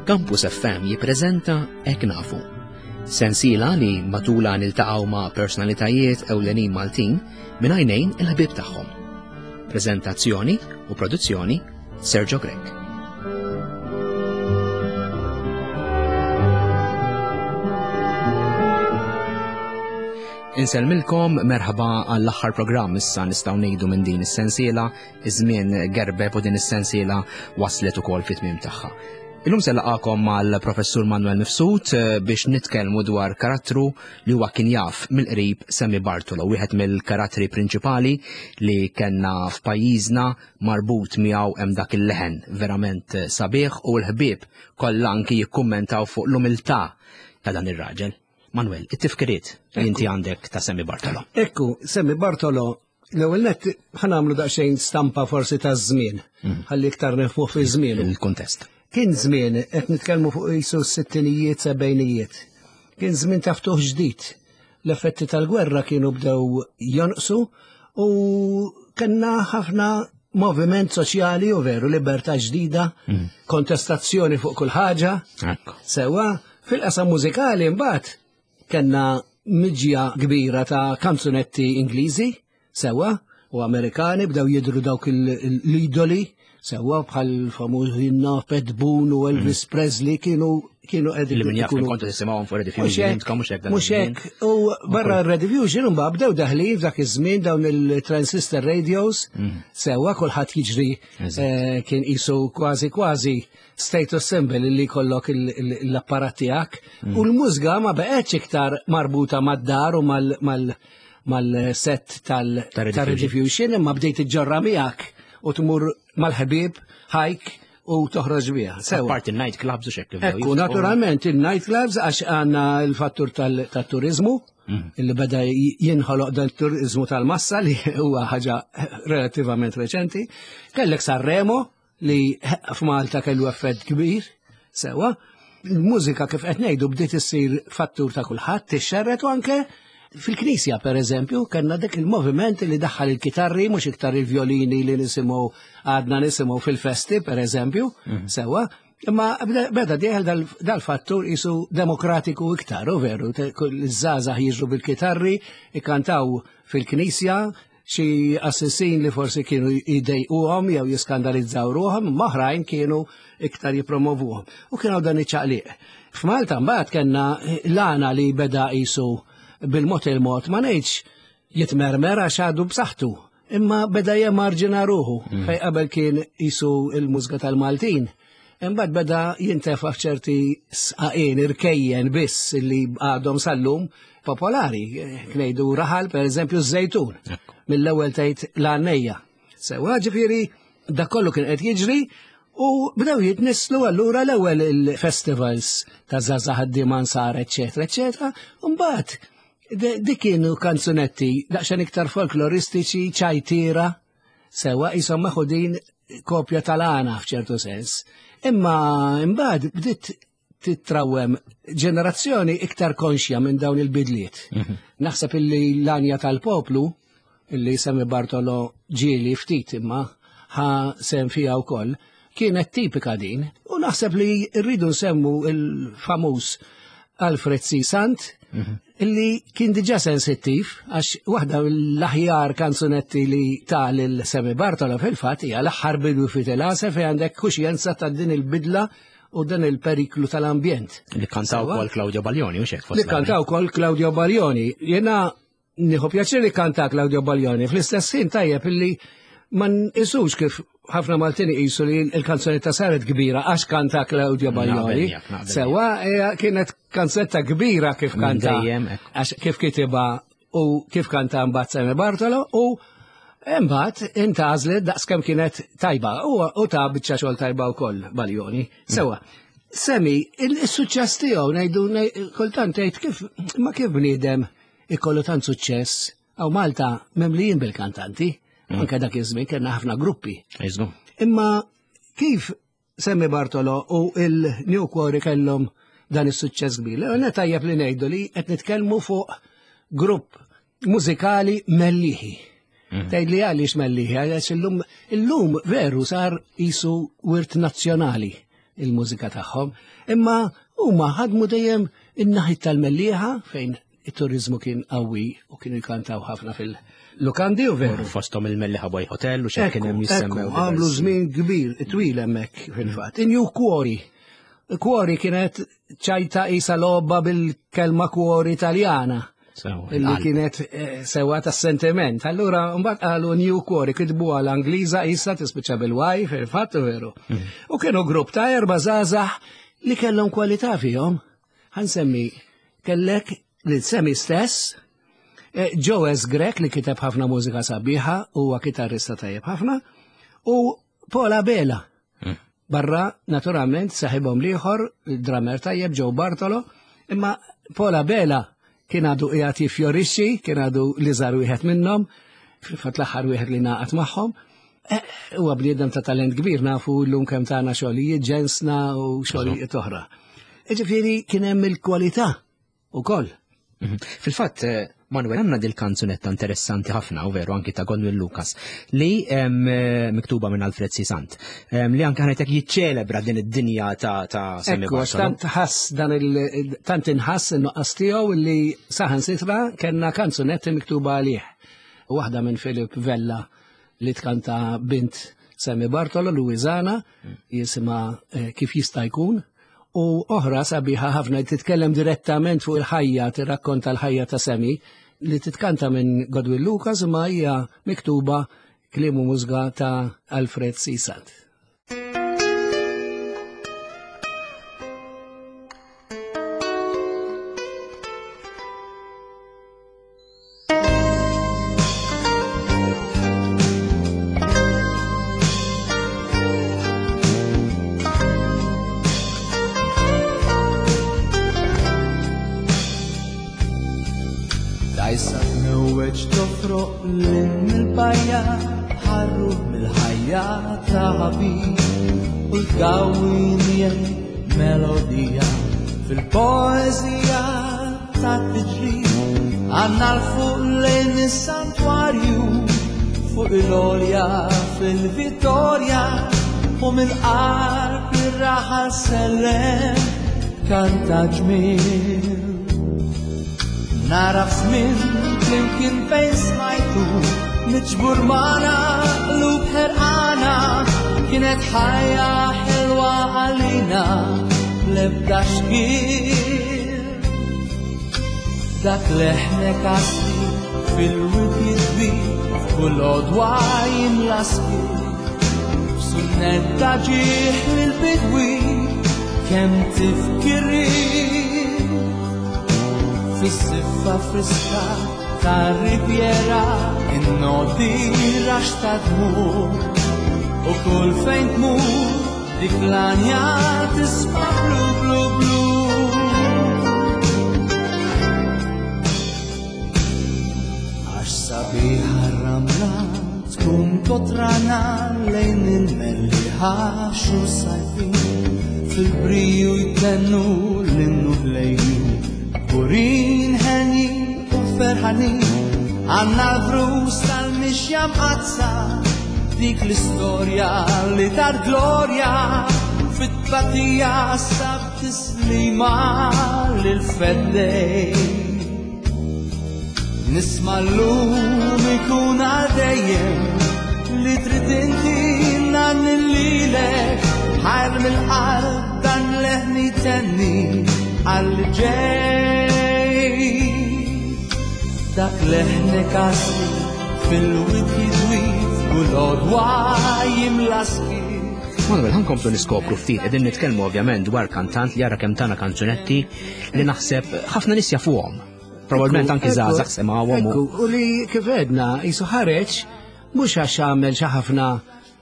Campus FM jippreżenta Hekk Nafu. Sensiela li matula niltaqgħu ma' personalitajiet ewlenin Maltin minn għajnejn il-ħbieb tagħhom. Preżentazzjoni u produzzjoni Sergio Grech. Insellmilkom merħba għall-aħħar programm issa nistgħu ngħidu minn din is-sensiela, iż-żmien gerbeb u din is-sensiela waslet ukoll fit-tmiem tagħha. Illum se laqakom mal-Professur Manuel Mifsud eh, biex nitkellmu dwar karattru li huwa kien jaf mill-qrib Sammy Bartolo, wieħed mill-karattri prinċipali li kellna f'pajjiżna marbut miegħu hemm dak il-leħen verament sabiħ u l-ħbieb kollha anki jikkummentaw fuq l-umiltà ta' dan ir-raġel. Manuel, it-tifkiriet li inti għandek ta' Sammy Bartolo. Ekku, Sammy Bartolo, l-ewwel nett ħanamlu daqsxejn stampa forsi ta' żmien, mhm. ħalli iktar nifmu fi żmien. Il-kuntest. Kien żmien qed nitkellmu fuq qisu s-sittinijiet, sebgħinijiet. Kien żmien ta' ftuħ ġdid. L-effetti tal-gwerra kienu bdew jonqsu u kellna ħafna moviment soċjali u veru libertà ġdida, mm. kontestazzjoni fuq kull ħaġa. Sewa, fil-qasam mużikali mbagħad kellna miġja kbira ta' kanzunetti Ingliżi, sewa, u Amerikani bdew jidru dawk l-idoli, sewa bħal famuż Hinna, Pat Boone u Elvis mm. Presley kienu kienu qegħdin. Li min jaf kontu tisimgħuhom fuq Rediffusion, mhux hekk. Mhux hekk. U barra Rediffusion imbagħad bdew daħlin f'dak iż-żmien dawn il-transistor radios, mm. sewa kulħadd jiġri eh, kien qisu kważi kważi status symbol li jkollok l-apparat tiegħek. Mm. U l-mużga ma beqgħetx iktar marbuta mad-dar u mal mal-set tal-Rediffusion imma bdejt iġġorra miegħek u tmur mal-ħbieb ħajk u toħroġ biha. Sewa. Parti il-night clubs u xekk. Ekku, naturalment il-night clubs għax għandna l-fattur tal-turizmu mm. illi beda jinħoloq dan turizmu tal-massa li huwa ħaġa relativament reċenti. Kellek Sanremo li f'Malta kellu effett kbir, sewa. Il-mużika kif qed ngħidu bdiet issir fattur ta' kulħadd, tixxerret u anke fil-knisja per eżempju, kellna dik il-moviment li daħħal il-kitarri mhux iktar il-violini li nisimgħu għadna nisimgħu fil-festi per eżempju, mhm. sewa. Imma beda dieħel dal-fattur isu demokratiku iktar, u veru, iż-żgħażagħ jiġru bil-kitarri, ikantaw fil-knisja, xi assessin li forsi kienu jdejquhom jew jiskandalizzaw ruħhom, imma oħrajn kienu iktar jippromovuhom. U kien hawn dan iċ-ċaqliq. F'Malta mbagħad kellna l-għana li beda qisu bil-mod il-mod ma ngħidx jitmermer għax għadu b'saħħtu, imma beda jemarġina ruħu mm. fej qabel kien qisu il-mużga tal-Maltin. Imbagħad beda jintefa' f'ċerti sqaqien irkejjen biss li għadhom sal-lum popolari. Knejdu raħal per eżempju żejtun. Mill-ewwel tgħid l-għannejja. Sewa ġifieri dak kollu kien qed jiġri u bdew jitnisslu allura l-ewwel il-festivals ta' żgħażagħ ħaddiema nsar, eċetera, eċetera. Mbagħad dik kienu kanzunetti daqsxejn iktar folkloristiċi, ċajtira, Sewa qishom meħudin kopja tal-għana f'ċertu sens. Imma imbagħad bdiet titrawem ġenerazzjoni iktar konxja minn dawn il-bidliet. Mhm. Naħseb illi l-għanja tal-poplu, illi Sammy Bartolo ġieli ftit imma ħa sem fija wkoll, kienet tipika din. U naħseb li rridu nsemmu il-famuż Alfred C. Sant, mhm. illi kien diġa sensittiv, għax waħda l-aħjar kanzunetti li ta' lil Sammy Bartolo fil-fatt hija l-aħħar bidu fi telase fejn għandek kuxjenza ta' din il-bidla u dan il-periklu tal-ambjent. Li kantaw kol Claudio Baglioni, u xek Li kantaw kol Claudio Baglioni. Jena Nieħu pjaċir li kanta Claudio Baglioni. Fl-istess ħin tajjeb illi ma nqisux kif ħafna Maltin iqisu li l-kanzunetta saret kbira għax kanta Claudio Baglioni. Sewa eh, kienet kanzunetta kbira kif kanta għax kif kitiba u kif kanta mbagħad Sammy Bartolo u imbagħad intgħażlet daqskemm kienet tajba u ta' biċċa xogħol tajba wkoll Baglioni. Sewa. Semi, il-suċċess tiegħu ngħidu kultant tgħid kif ma kif bniedem ikollu tant suċċess. Għaw Malta memlijin bil-kantanti, mm. anke dak iż-żmien kellna ħafna gruppi. Imma kif Semmi Bartolo u il-New Quarry kellhom dan is-suċċess kbir. Għana tajjeb li ngħidu li qed nitkellmu fuq grupp mużikali melliħi. Mm. Tgħid li għaliex melliħi, għaliex illum illum veru sar isu wirt nazzjonali. il-mużika tagħhom, imma huma ħadmu dejjem in-naħit tal-Mellieħa fejn it-turizmu kien qawwi u kienu jkantaw ħafna fil-lukandi u veru. Fosthom il-Mellieħa Boy Hotel u xejn kien hemm jissemmew. Għamlu żmien kbir, twil hemmhekk fil-fatt. Inju Cuori. Cuori kienet ċajta isa logħba bil-kelma cuori Italjana. Illi kienet eh, sewa ta' sentiment. Allura, mbagħad qalu New Cuori kitbu għal Angliża isa tispiċċa bil-waj fil-fatt veru. Mhm. U kienu grupp ta' erba' żgħażagħ li kellhom kwalità fihom. Ħansemmi kellek lil Semi stess, eh, Joe S. Grek li kiteb ħafna mużika sabiħa, huwa kitarrista tajjeb ħafna, u Paul Abela. Hmm. Barra, naturalment, saħibhom liħor, drummer tajjeb Joe Bartolo, imma Paul Abela kien għadu qiegħed jiffjorixxi, kien għadu li żar wieħed minnhom, fil-fatt l-aħħar wieħed li naqat magħhom. Eh, huwa bniedem ta' talent kbir nafu llum kemm tagħna xogħlijiet ġensna u xogħlijiet oħra. Ġifieri kien hemm il-kwalità ukoll. Mhm. Fil-fatt, eh, Manuel, għanna dil-kanzunetta interessanti ħafna, u veru anki ta' Godwin Lucas, li eh, miktuba minn Alfred Sisant, li anke ħanetek jiċċelebra din id-dinja ta' ta' Sammy Ekku, tant ħass dan il tant inħass in-nuqqas tiegħu li saħan sitra kellna kanzunetti miktuba għalih. Waħda minn Philip Vella li tkanta bint Sammy Bartolo, Luizana, jisima eh, kif jista' jkun, u oħra sabiħa ħafna li titkellem direttament fuq il-ħajja, tirrakkonta l-ħajja ta' Sammy, li titkanta minn Godwin Lucas ma hija miktuba kliem u mużga ta' Alfred Sisant. Dajsa tmewweġ tofroq lil mill-bajja ħarru mill-ħajja ta' ħabib u l-gawwi melodija fil-poeżija ta' tiġri għanna l-fuq lejn is-santwarju fuq il-olja fil-Vittorja u mill-qalb ir-raħal sellem kanta ġmil. Nara f'żmien flimkien fejn smajtu miġbur magħna qlub ħerqana kienet ħajja ħelwa għalina l-ebda xkil. Dak leħnek għasli fil-wid jidwi f'kull għodwa jimla skiet. F'sunnetta ġieħ lill-bidwi kemm tifkiri fis-siffa friska tar-Riviera in-noti rax ta' dmur u kull fejn tmur dik l-anja tisma' blu blu blu. Għax sabiħa r-ramla tkun kotrana lejn il-melliħa xhur sajfin fil-briju jtennu l-innu ħlejju Burin ħenjin u ferħanin għanna l-vrus tal-mixja mqazza dik l-istorja li dar glorja fit-tbatija sab tislima lil-feddej. Nisma l-lum ikun għal dejjem li trid inti nan lilek ħajr mill-qalb dan leħni tenni għal ġej. Dak leħnek għasli fil-wid jidwi u l-odwa jimla skiet. Manuel, ħankomplu niskopru ftit, qegħdin nitkellmu ovvjament dwar kantant li jara kemm tana kanzunetti li naħseb ħafna nies jafuhom. Probabbilment anki żgħażagħ semgħuhom. U li kif għedna, jisu ħareġ mhux għax għamel xi ħafna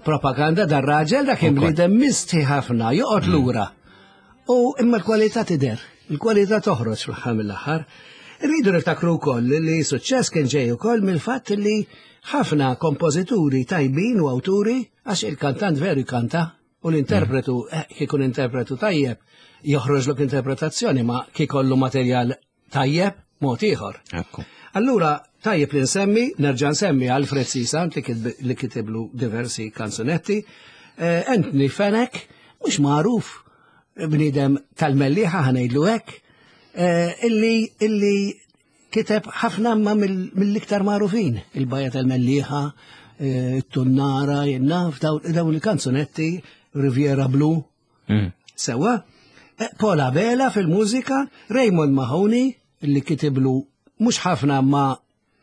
propaganda dar raġel dak kien bniedem mistħi ħafna, joqgħod mm. lura. U imma l-kwalità tidher, il-kwalità toħroġ fl-aħħar mill-aħħar. Irridu niftakru wkoll li suċċess kien ġej ukoll mill-fatt li ħafna kompożituri tajbin u awturi għax il-kantant veru jkanta u l-interpretu mm. eh, kikun interpretu tajjeb joħroġlok interpretazzjoni ma kikollu materjal tajjeb mod ieħor. Allura tajjeb li nsemmi, nerġa' nsemmi Alfred Sisant li kitiblu diversi kanzunetti, eh, Anthony Fenech, mhux magħruf. bniedem tal-Mellieħa ħa ngħidlu hekk, eh, illi illi kiteb ħafna imma mill-iktar magħrufin, il-Bajja tal-Mellieħa, eh, it-Tunnara, jien naf, dawn il-kanzunetti, Riviera Blu. Sewa, eh, Paul Abela fil-mużika, Raymond Mahoney, li kitiblu mhux ħafna ma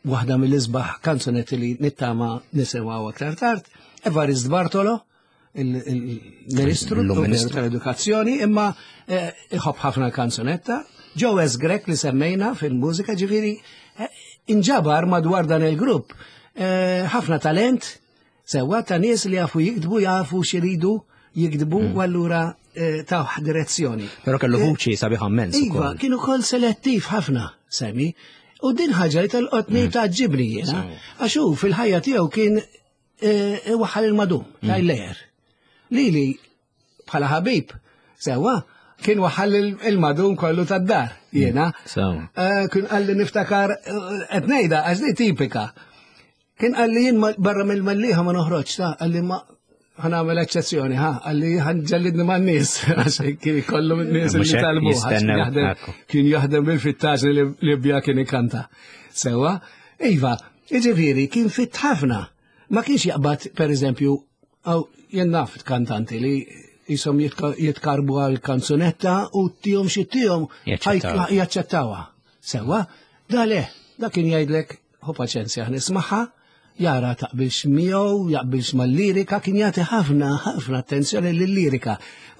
waħda mill-isbaħ kanzunetti li nittama nisimgħu aktar tard, Evarist Bartolo, il-Ministru tal-Edukazzjoni, imma eh, iħobb ħafna kanzunetta, Joe S. Grech li semmejna fil-mużika ġifieri eh, inġabar madwar dan il-grupp eh, ħafna talent sewa ta' nies li jafu jiktbu, jafu xiridu jiktbu u allura tawh direzzjoni. Però kellu vuċi sabiħa immens. Iva, kien ukoll selettiv ħafna, Semi. U din ħaġa li tolqotni mm. tgħaġġibni jiena. Għax hu fil-ħajja tiegħu kien eh, waħal il-madum, mm. tajlejer. Lili bħala ħabib, sewa, kien waħal il-madum kollu tad-dar, jiena. Eh, kien qalli niftakar, eh, qed ngħidha għax di tipika. Kien qalli jien barra mill-Mellieħa ma noħroġ ta' qalli ma ħa nagħmel eċċezzjoni, ha, qalli ħa nġellidni ma' nies, għax kien kollu nies li talbu, kien jaħdem bil-fittax li Libja kien ikanta. Sewa, iva, iġifieri kien fit ħafna. Ma kienx jaqbad, per eżempju, għaw jien naf kantanti li jisom jitkarbu għal kanzunetta u tihom xi tihom jaċċettawha. Sewa, da le, da kien jgħidlek Ħu paċenzja, nismaħħa, jara taqbilx miegħu, jaqbilx mal-lirika, kien jagħti ħafna ħafna attenzjoni lill-lirika.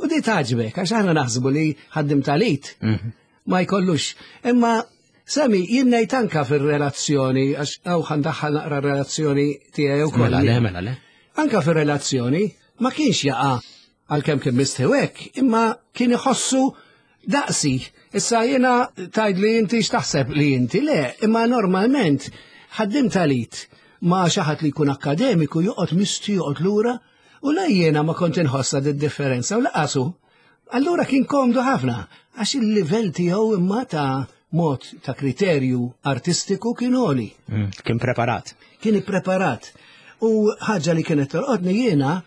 U di tagħġbek, għax aħna naħsbu li ħaddim talit mhm. ma jkollux. Imma Sami, jien ngħid anka fir-relazzjoni, għax hawn ħandaħħal naqra relazzjoni tiegħi wkoll. Mela le, mela le. Anka fir-relazzjoni ma kienx jaqa' għalkemm kien mistħi hekk, imma kien iħossu daqsi. Issa jiena tajd li inti x'taħseb li inti le, imma normalment ħaddim talit ma xi ħadd li jkun akademiku joqgħod misti joqgħod lura u la jiena ma kont inħossa di differenza u laqasu. Allura kien komdu ħafna għax il-livell tiegħu imma ta' mod ta' kriterju artistiku kien għoli. Mm, kien preparat. Kien ippreparat. U ħaġa li kienet torqodni jiena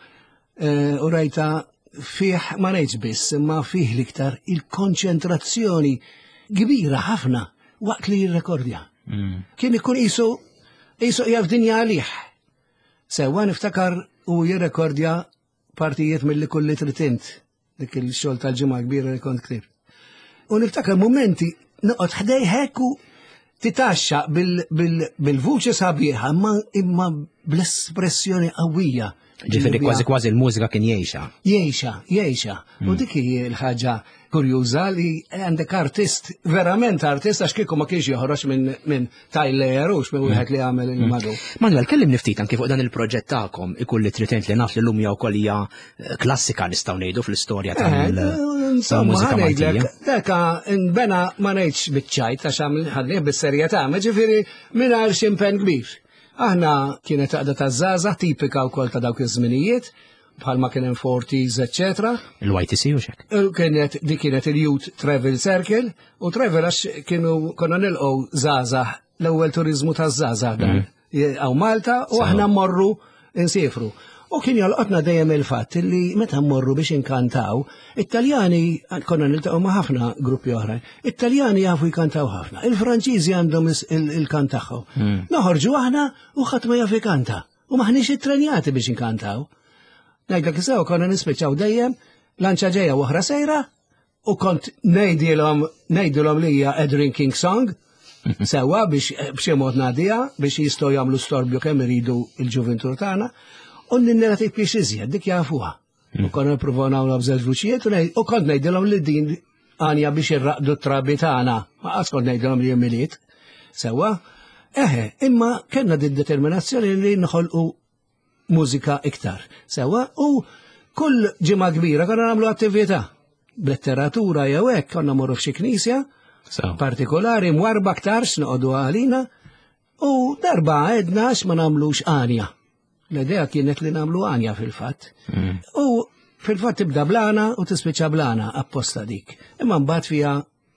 Eh, u rajta fih ma ngħidx biss, imma fih l-iktar il-konċentrazzjoni kbira ħafna waqt li jirrekordja. Mm. Kien ikun qisu qisu jaf dinja għalih. Sewwa niftakar u jirrekordja partijiet mill-li kulli trid dik il-xogħol tal-ġimgħa kbira li kont ktibt. U niftakar momenti noqgħod ħdej hekk u titaxxa bil-vuċi sabiħa imma imma bl-espressjoni qawwija. Ġifieri kważi kważi l-mużika kien jgħixha. Jgħixha, jgħixha. U mm. dik hi l-ħaġa kurjuża li għandek artist, verament artist, għax kieku ma kienx joħroġ minn min Tyler u minn wieħed li għamel il-madu. Manuel, kellim niftit anki fuq dan il-proġett tagħkom ikulli tritent li naf li l-lum jew ukoll hija eh, klassika nistgħu ngħidu fl-istorja eh, tal-mużika Maltija. Daka nbena ma ngħidx biċ-ċajt għax ħadnih bis-serjetà, ma ġifieri mingħajr xi impenn kbir. Aħna kienet għaqda ta' żgħażagħ tipika wkoll ta' dawk iż-żminijiet, bħalma kien hemm 40s, eccetera. Il-YTC u xek? Kienet di kienet il-Youth Travel Circle u travel għax kienu konna nilqgħu żgħażagħ l-ewwel turizmu taż-żgħażagħ dan. Mm. Għaw Malta u aħna mmorru insifru. U kien jolqotna dejjem il-fatt li meta mmorru biex inkantaw, it-Taljani konna niltaqgħu ma' ħafna gruppi oħra. It-Taljani jafu jkantaw ħafna, il-Franċiżi għandhom il-kant tagħhom. Mm. Noħorġu aħna u ħadd ma jaf ikanta. U maħniex ittrenjati biex inkantaw. Ngħidlek sew konna nispiċċaw dejjem lanċa ġejja u oħra sejra u kont ngħidilhom ngħidilhom li hija a drinking song sewwa biex eh, b'xi mod ngħaddiha biex jistgħu jagħmlu storbju kemm iridu il-ġuventur tagħna u n-narrativ biex iżjed dik jafuha. U konna nippruvaw nagħmlu b'żewġ vuċijiet u kont ngħidilhom li din għanja biex irraqdu t-trabi tagħna. Ma qas kont ngħidilhom li miliet. Sewwa, eħe, imma kellna din determinazzjoni li nħolqu mużika iktar. Sewwa, u kull ġimgħa kbira konna nagħmlu attività. B'letteratura jew hekk konna morru f'xi knisja partikolari mwarba aktarx noqogħdu għalina u darba għedna ma nagħmlux għanja. L-idea kienet li nagħmlu għanja fil-fatt. Mm. U fil-fatt tibda blana u tispiċċa blana apposta dik. Imma mbagħad fiha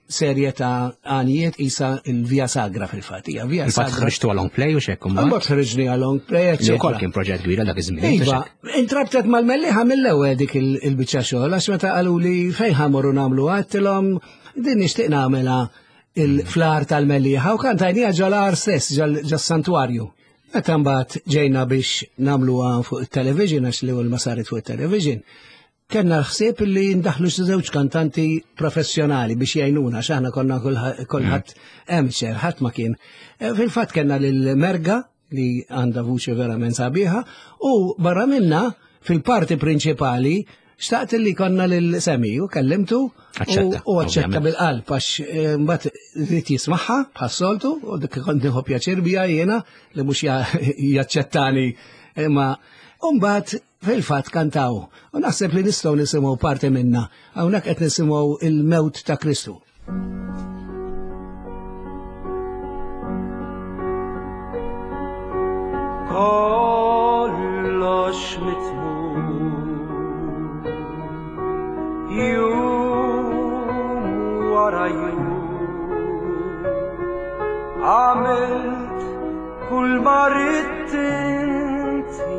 serje ta' għanijiet isa il-Via Sagra fil-fatt. Hija Via Sagra. ħriġtu long play u xekk Mbagħad ħriġni long play, eċċetera. Ukoll kien proġett kbira dak iż-żmien. Iva, intrabtet mal-Mellieħa mill-ewwel dik il-biċċa xogħol għax meta qalu li fejn ħamorru nagħmlu għedtilhom din nixtieq nagħmilha il-flar tal-Mellieħa u kantajnija ġol-għar stess, ġas-santwarju. Meta mbagħad ġejna biex nagħmluha fuq it-television għax l-ewwel ma saret fuq it-television, kellna l-ħsieb li ndaħlu xi żewġ kantanti professjonali biex jgħinuna għax aħna konna kulħadd amateur, ħadd ma kien. Eh, fil-fatt kellna lil Merga li għandha vuċi verament sabiħa u barra minna fil-parti prinċipali xtaqt li konna lil Semi u kellimtu u aċċetta bil-qalb għax eh, mbagħad rrid jismagħha bħas-soltu u dik kont nieħu pjaċir bija jiena li mhux jaċċettani imma mbagħad Fil-fatt kantaw, u naħseb li nistgħu nisimgħu parti minna, hawnhekk qed nisimgħu il-mewt ta' Kristu. Kollox mitmum Jum wara jum Għamilt Kull ma ridt inti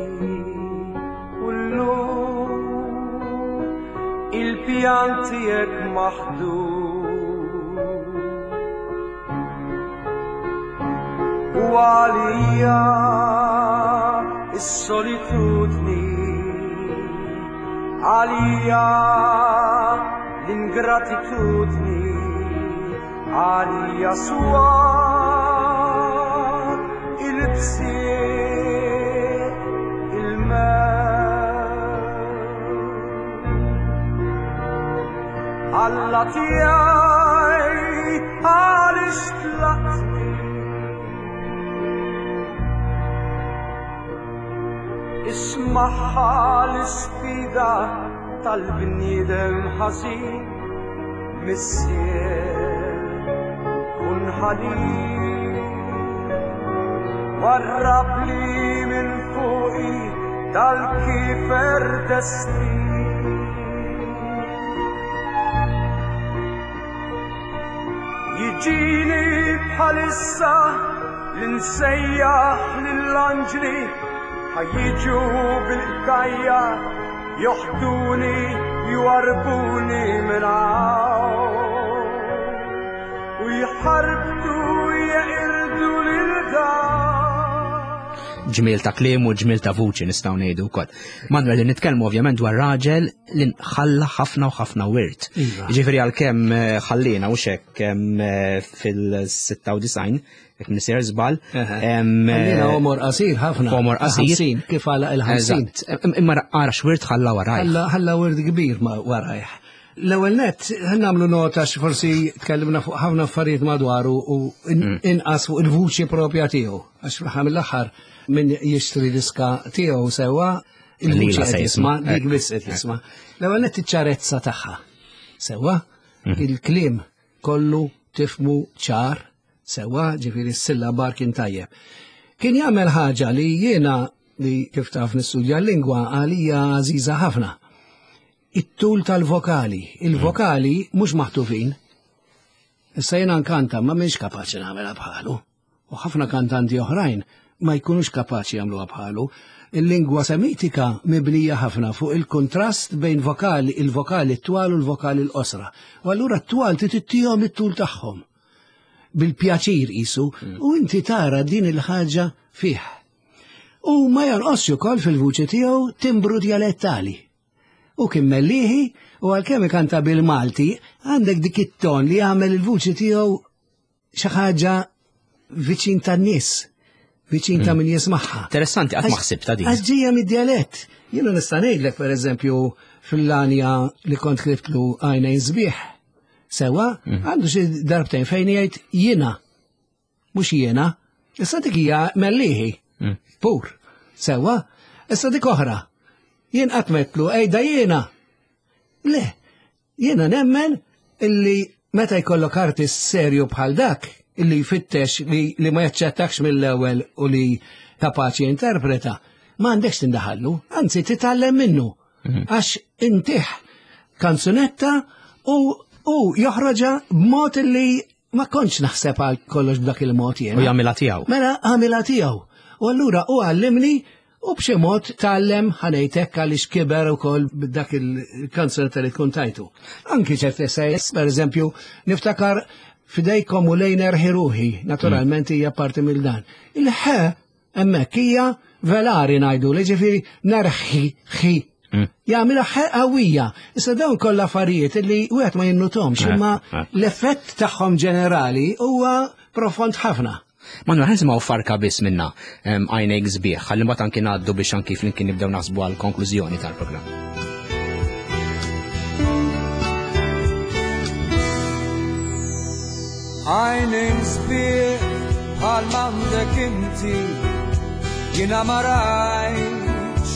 u llum il-pjan tiegħek maħdum. U għalija is-solitudni għalija l-ingratitudni Għalija swar il-bsieq il-mewt. Alla tiegħi għaliex tlaqtni? Ismagħha l-isfida tal-bniedem ħażin. Missier, kun ħanin, warrab li minn fuqi dal-kifer destin. Jiġini bħalissa li nsejjaħ lill-anġli ħajjiġu bil-kajja Joħduni, jwarrbuni minn hawn u jħarbtu jeqirdu lil dan. Ġmiel ta' kliem u ġmiel ta' vuċi nistgħu ngħidu wkoll. Manuel, li nitkellmu ovvjament dwar raġel li ħalla ħafna u ħafna wirt. Iva. Ġifieri għalkemm eh, ħallina u xekk eh, fil-96 jekk nisir żball. Ħallina eh, omor qasir ħafna. Omor qasir. Kif għala il-50. Imma ara x'wirt ħalla warajh. Ħalla wirt kbir ma warajh. L-ewwel nett nagħmlu nota forsi tkellimna fuq ħafna affarijiet madwaru u mm. inqas fuq il-vuċi propja tiegħu. Għax fl-aħħar mill-aħħar min jixtri diska tiegħu sewwa il-vuċi qed jisma' dik biss qed jisma'. L-ewwel nett iċ-ċarezza tagħha. Sewwa, mm. il-kliem kollu tifmu ċar Sewwa, ġifieri s-sillabar kien tajjeb. Kien jagħmel ħaġa li jiena li kif taf nistudja l-lingwa għalija għażiża ħafna. It-tul tal-vokali. Il-vokali mhux maħtufin. Issa jiena nkanta ma mhix kapaċi nagħmilha bħalu. U ħafna kantanti oħrajn ma jkunux kapaċi jagħmluha bħalu. Il-lingwa semitika mibnija ħafna fuq il-kontrast bejn vokali, il-vokali t-twal u l-vokali l-qosra. U allura t-twal titittihom it-tul tagħhom. bil-pjaċir qisu, mm. u inti tara din il-ħaġa fih. U ma jonqosx ukoll fil-vuċi tiegħu timbru dialettali. U kien mellieħi u għalkemm ikanta bil-Malti, għandek dik it-ton li jagħmel il-vuċi tiegħu xi ħaġa viċin tan-nies, viċin ta' mm. min jismagħha. Interessanti, qatt ma ħsibta din. Għax ġejja mid-dialett. Jiena nista' ngħidlek pereżempju fil-lanja li kont klibtlu għajnejn sbieħ. Sewa, mhm. għandu xi darbtejn fejn jgħid jiena, mhux jiena. Issa dik hija mellieħi, mm. pur. Sewa, issa dik oħra. Jien qatt metlu ejda jiena. Le, jiena nemmen illi meta jkollok artist serju bħal dak, illi jfittex li, li ma jaċċettakx mill-ewwel u li kapaċi jinterpreta, ma għandekx tindaħallu, anzi titgħallem minnu. Mhm. Għax intih kanzunetta u U joħroġha b'mod li ma kontx naħseb għal kollox b'dak il-mod jien. U jagħmilha tiegħu. Mela għamilha tiegħu. U allura u għallimni u b'xi mod tgħallem ħanejtek għaliex kiber ukoll b'dak il-kanzunetta li tkun tajtu. Anki ċerti essays, per eżempju, niftakar fidejkom u lejn erħi ruħi, naturalment hija parti mill dan. Il-ħe hemmhekk hija velari ngħidu li ġifieri nerħi ħi. Jagħmilha ħe qawwija. Issa dawn kollha affarijiet li wieħed ma jinnutomx, imma l-effett tagħhom ġenerali huwa profond ħafna. Manuel, ħa nisimgħu farka biss minna għajnejk sbieħ, ħalli mbagħad anki ngħaddu biex anki flimkien nibdew naħsbu għal konklużjoni tal-programm. Għajnejn sbieħ bħal m'għandek inti, jiena ma rajtx,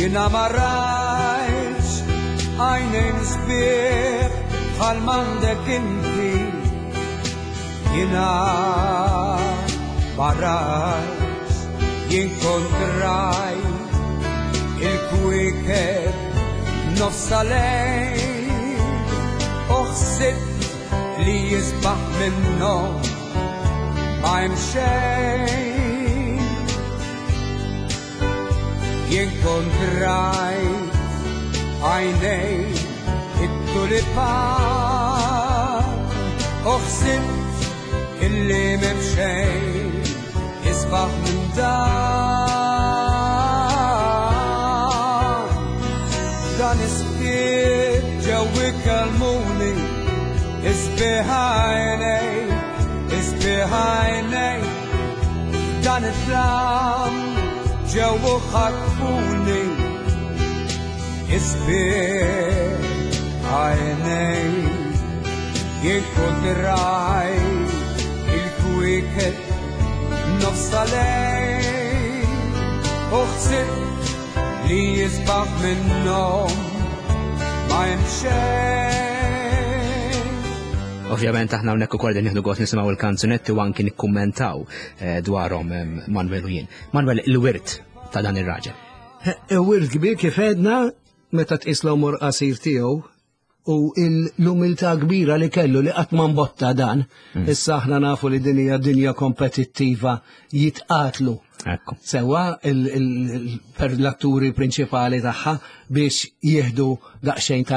jiena ma rajtx. Għajnejn sbieħ bħal m'għandek inti, Jiena ma rajtx, jien kont rajt il-kwiekeb nofs lejl u ħsibt li jisbaħ minnhom ma hemm xejn. Jien kont rajt għajnejn it-tulipan u ħsibt illi m'hemm xejn isbaħ minn dan. Dan is-skiet ġew ikellmuni, isbieħ għajnejk, isbieħ għajnejk. Dan it-tlam ġew u ħatfuni, isbieħ għajnejk. Jien kont rajt il-kwiekeb nofs lejl u ħsibt li jisbaħ minnhom ma hemm xejn. Ovvjament aħna hawnhekk ukoll qegħdin nieħdu gost nisimgħu l-kanzunetti u anki nikkummentaw dwarhom Manuel u jien. Manuel, il-wirt ta' dan ir-raġel. Wirt kbir kif għedna meta tqis l-għomor qasir tiegħu u l-umiltà kbira li kellu li qatt ma mbotta dan. Issa aħna nafu li din hija dinja kompetittiva jitqatlu. Sewa per l-atturi prinċipali tagħha biex jieħdu daqsxejn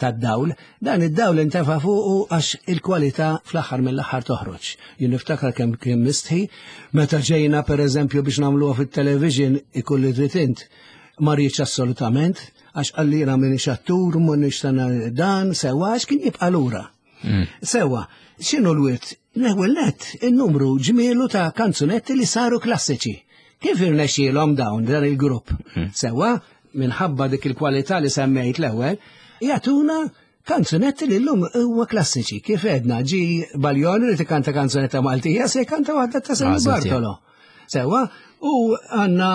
tad-dawl. Dan id-dawl intefa' fuqu għax il-kwalità fl-aħħar mill-aħħar toħroġ. Jien niftakar kemm kien mistħi meta ġejna pereżempju biex nagħmluha fit-television ikolli trid int. Ma rridx assolutament, għax qalli jiena m'iniex attur, m'iniex dan, sewa, għax kien jibqa' lura. Sewa, x'inhu l-wirt? L-ewwel nett, in-numru ġmielu ta' kanzunetti li saru klassiċi. Kif irnexxielhom dawn dan il-grupp? Sewa, minħabba dik il-kwalità li semmejt l-ewwel, jagħtuna kanzunetti li llum huwa klassiċi. Kif għedna, ġi Baljoni li tikanta kanzunetta Maltija, se jkanta waħda ta' Sammy Bartolo. Sewa, u għanna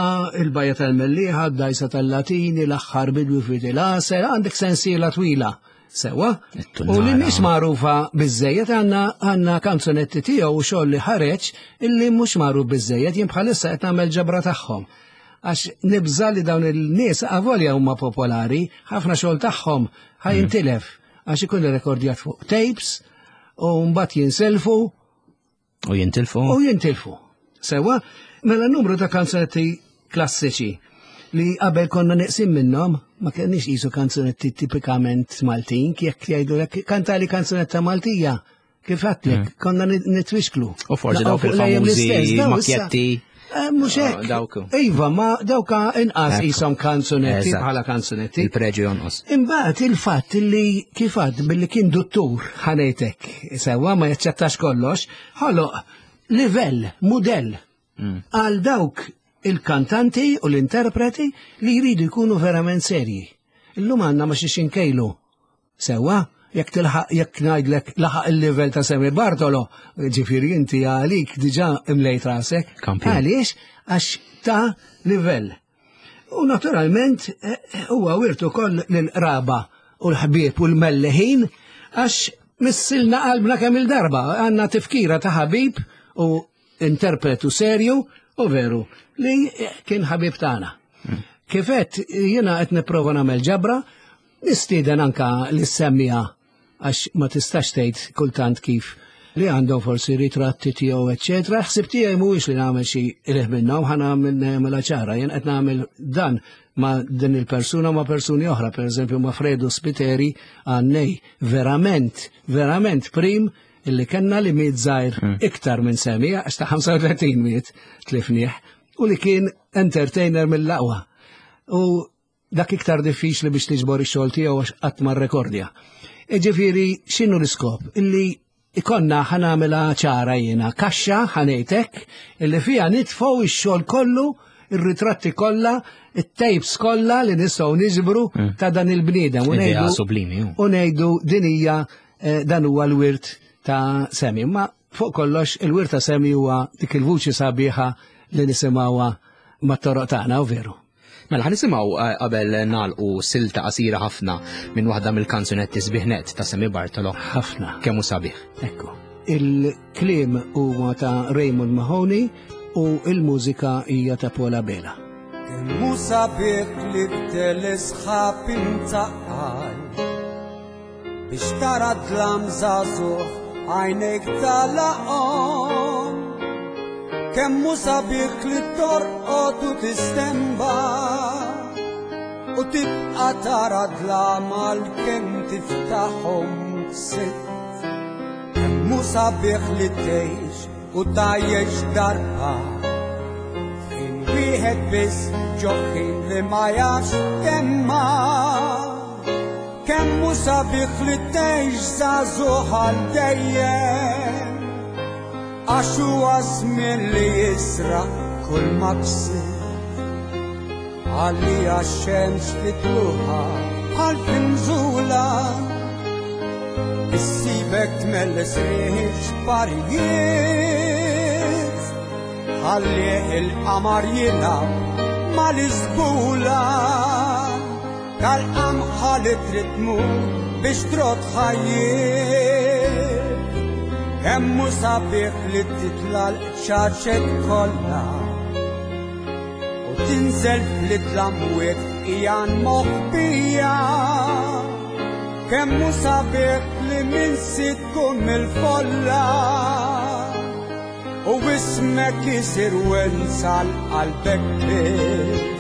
il-Bajja tal-Mellieħa, d-Dajsa tal-Latini, l-aħħar bidwi fi il-Għasel, għandek sensiela twila. Sewa, u li mhix magħrufa biżejjed għandna kanzunetti tiegħu u xogħol li ħareġ illi mhux magħruf biżejjed, jien bħalissa qed nagħmel ġabra tagħhom. Għax nibża li dawn il-nies avolja huma popolari, ħafna xogħol tagħhom ħajintilef għax ikun irrekordjat fuq tapes u mbagħad jinselfu. U jintilfu. U jintilfu. Sewa, mela numru ta' kanzunetti klassiċi li qabel konna neqsim minnhom, ma kenniex qisu kanzunetti tipikament Maltin, jekk jgħidulek kantali kanzunetta Maltija, kif għedtlek, konna nitwixklu. U forsi Naqgħu dawk fuq lejjem il-famużi l-istess, daw issa. makkjetti. Mhux hekk. Dawk. Iva, ma dawk inqas qishom kanzunetti bħala kanzunetti. Il-preġju jonqos. Imbagħad il-fatt li kif għad billi kien duttur ħanejtek, sewwa ma jaċċettax kollox, ħoloq livell, mudell għal dawk il-kantanti u l-interpreti li jridu jkunu verament serji. Illum għandna ma xiex inkejlu. Sewwa, jekk tilħaq, jekk ngħidlek laħaq il-livell ta' Sammy Bartolo, ġifieri inti għalik diġà imlejt rasek. Kampjon. Għaliex? Għax ta' livell. U naturalment huwa wirtu koll lill-qraba u l-ħbieb u l-melleħin għax missilna qalbna kemm il-darba, għandna tifkira ta' ħabib u interpretu serju u veru li kien ħabib tagħna. Kifet jiena qed nipprova nagħmel ġabra, nistieden anka li semmija Għax ma tistax tgħid kultant kif li għandhom forsi ritratti tiegħu eċċetera. Ħsib tiegħi mhuwiex li nagħmel xi qligħ minnhom, ħa nagħmel nagħmilha ċara, jien qed nagħmel dan ma' din il-persuna ma' persuni oħra, pereżempju ma' Fredu Spiteri għannej verament, verament prim illi kellna li miet żgħir hmm. iktar minn semi, għax ta' 35 miet tlifnieh, u li kien entertainer mill-aqwa. U dak iktar diffiċli biex tiġbor ix-xogħol tiegħu għax qatt ma rrekordja. Ġifieri x'inhu l-iskop? Illi ikonna ħanamela ċara jiena, kaxxa ħanejtek illi fiha nitfgħu ix-xogħol kollu, ir-ritratti kollha, it-tapes kollha li nistgħu niġbru hmm. ta' dan il-bniedem. U ngħidu din hija eh, dan huwa l-wirt ta' Semi. Ma fuq kollox il-wirt ta' Semi huwa dik il-vuċi sabiħa li nisimgħuha mat-toroq tagħna u veru. Mela ħa nisimgħu eh, qabel nagħlqu silta qasira ħafna minn waħda mill-kanzunetti sbiħnet ta' Semi Bartolo. Ħafna. Kemm hu sabiħ. Ekku. Il-kliem huwa ta' Raymond Mahoney u il-mużika hija ta' Paula Bela. Kemm hu sabiħ li b'telesħab imtaqqal biex tara dlam żagħżugħ għajnejk talaqhom. Kemm hu sabiħ li torqod u tistemba u tibqa' tara dlam għalkemm tiftaħhom sitt. Kemm hu sabiħ li tgħix u tgħajjex darba f'ħin wieħed biss ġo ħin li ma jafx temma. Kemm hu sabiħ li tgħix żagħżugħ għal dejjem Għax huwa żmien li jisraq kull ma ksibt Għalija x-xemx fitluħa bħal f'inżula Issibek tmelles riħ xparijiet Ħalli il-qamar jilgħab mal-iżbula Tal-qamħa li trid tmur biex trott ħajjiet. Kemm hu sabiħ li titla' l-qċaċet kollha u tinżel fl-idlamwiet ijan moħbija. Kemm hu sabiħ li minsi tkun mill-folla u ismek isir wenza l-qalbek biss.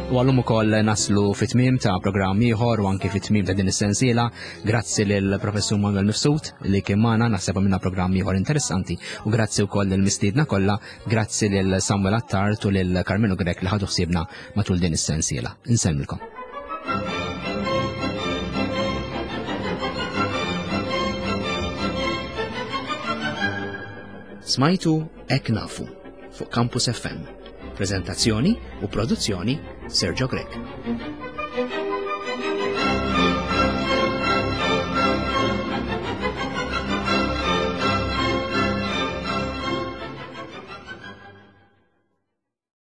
U għallum ukoll naslu fit-tmiem ta' programm ieħor u anki fit-tmiem ta' din is-sensiela. Grazzi lil Professur Manuel Mifsud li kien magħna naħseb minna programm ieħor interessanti u grazzi wkoll lil mistiedna kollha, grazzi lil Samuel Attard u lil Carmelo Grech li ħadu ħsiebna matul din is-sensiela. Insellmilkom. Smajtu Ek Nafu fuq Campus FM. Prezentazzjoni u produzzjoni Sergio Grech.